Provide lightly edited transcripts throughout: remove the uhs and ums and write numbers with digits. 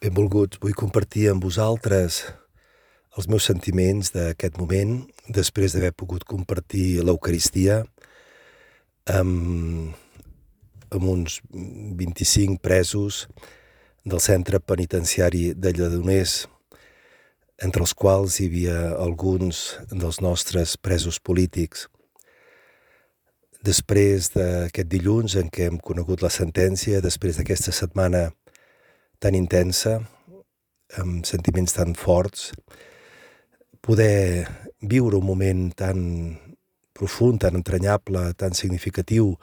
Benvolguts, vull compartir amb vosaltres els meus sentiments d'aquest moment, després d'haver pogut compartir l'Eucaristia amb uns 25 presos del centre penitenciari de Lledoners, entre els quals hi havia alguns dels nostres presos polítics. Després d'aquest dilluns en què hem conegut la sentència, després d'aquesta setmana tan intensa, amb sentiments tan forts, poder viure un moment tan profund, tan entranyable, tan significatiu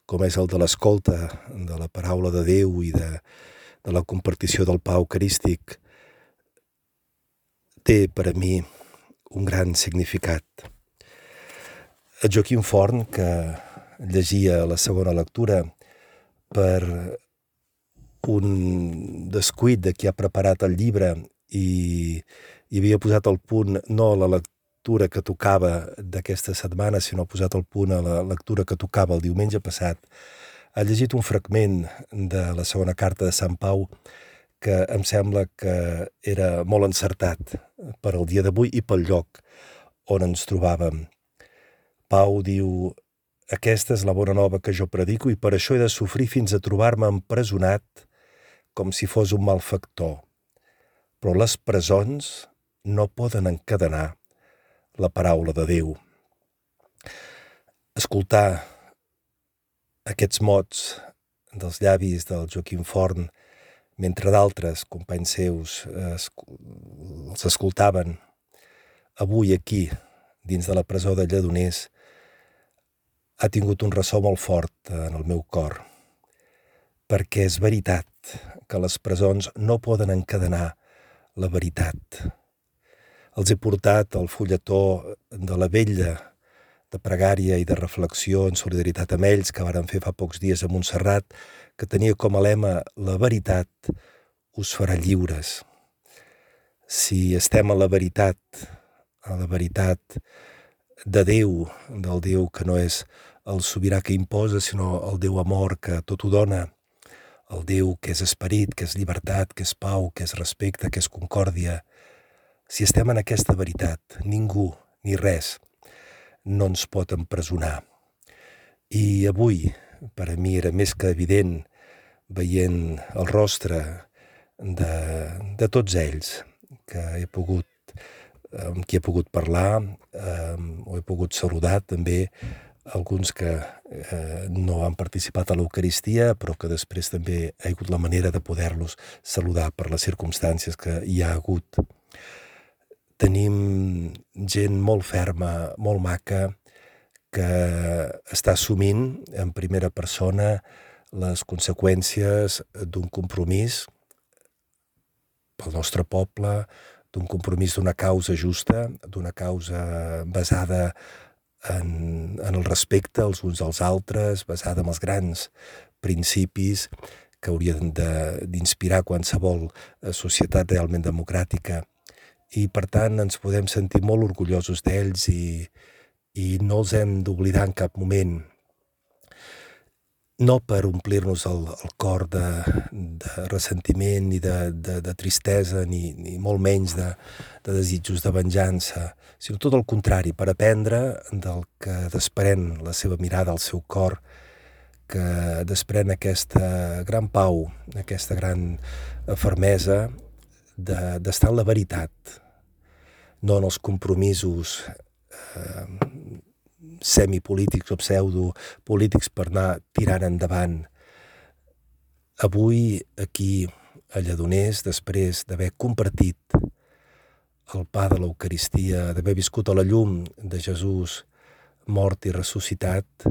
com és el de l'escolta de la paraula de Déu i de la compartició del pa eucarístic, té per a mi un gran significat. El Joaquim Forn, que llegia la segona lectura, per un descuit de qui ha preparat el llibre i havia posat al punt no la lectura que tocava d'aquesta setmana, sinó ha posat al punt a la lectura que tocava el diumenge passat, ha llegit un fragment de la segona carta de Sant Pau que em sembla que era molt encertat per al dia d'avui i pel lloc on ens trobàvem. Pau diu: aquesta és la bona nova que jo predico i per això he de sofrir fins a trobar-me empresonat com si fos un malfactor. Però les presons no poden encadenar la paraula de Déu. Escoltar aquests mots dels llavis del Joaquim Forn, mentre d'altres companys seus els escoltaven avui aquí, dins de la presó de Lledoners, ha tingut un ressò molt fort en el meu cor, perquè és veritat que les presons no poden encadenar la veritat. Els he portat el fulletó de la vetlla de pregària i de reflexió en solidaritat amb ells que varen fer fa pocs dies a Montserrat, que tenia com a lema: la veritat us farà lliures. Si estem a la veritat de Déu, del Déu que no és el sobirà que imposa, sinó el Déu amor que tot ho dona, el Déu que és esperit, que és llibertat, que és pau, que és respecte, que és concòrdia. Si estem en aquesta veritat, ningú ni res no ens pot empresonar. I avui, per a mi era més que evident, veient el rostre de tots ells amb qui he pogut parlar, o he pogut saludar també alguns que no han participat a l'Eucaristia, però que després també ha hagut la manera de poder-los saludar per les circumstàncies que hi ha hagut. Tenim gent molt ferma, molt maca, que està assumint en primera persona les conseqüències d'un compromís pel nostre poble, d'un compromís d'una causa justa, d'una causa basada en el respecte els uns als altres, basada en els grans principis que haurien d'inspirar qualsevol societat realment democràtica. I per tant ens podem sentir molt orgullosos d'ells i no els hem d'oblidar en cap moment. No per omplir-nos el cor de ressentiment ni de tristesa ni molt menys de desitjos de venjança, sinó tot el contrari, per aprendre del que desprèn la seva mirada, el seu cor, que desprèn aquesta gran pau, aquesta gran fermesa d'estar en la veritat, no en els compromisos semipolítics o pseudopolítics per anar tirant endavant. Avui, aquí a Lledoners, després d'haver compartit el pa de l'Eucaristia, d'haver viscut a la llum de Jesús mort i ressuscitat,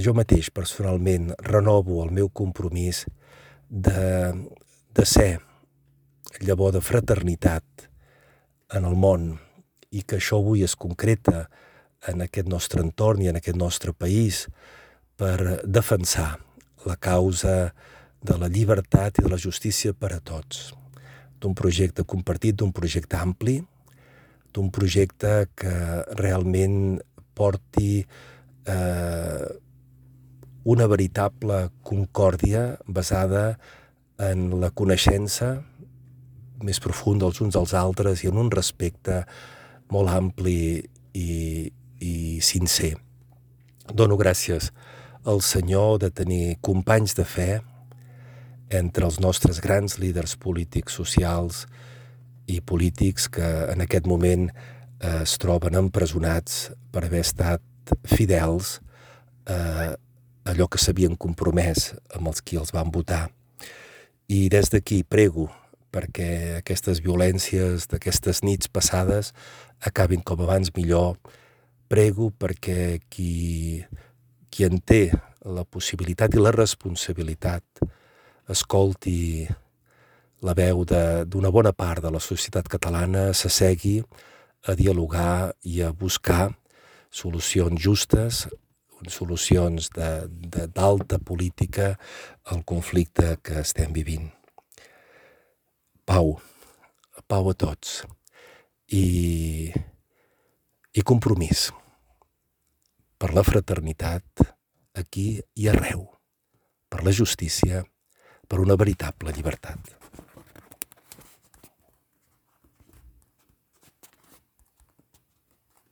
jo mateix personalment renovo el meu compromís de ser llavor de fraternitat en el món i que això avui es concreta en aquest nostre entorn i en aquest nostre país per defensar la causa de la llibertat i de la justícia per a tots, d'un projecte compartit, d'un projecte ampli, d'un projecte que realment porti una veritable concòrdia basada en la coneixença, més profund els uns als altres i en un respecte molt ampli i sincer. Dono gràcies al Senyor de tenir companys de fe entre els nostres grans líders polítics, socials i polítics que en aquest moment es troben empresonats per haver estat fidels a allò que s'havien compromès amb els qui els van votar. I des d'aquí prego perquè aquestes violències d'aquestes nits passades acabin com abans millor. Prego perquè qui en té la possibilitat i la responsabilitat escolti la veu d'una bona part de la societat catalana, s'assegui a dialogar i a buscar solucions justes, solucions d'alta política al conflicte que estem vivint. Pau a tots i compromís per la fraternitat aquí i arreu, per la justícia, per una veritable llibertat.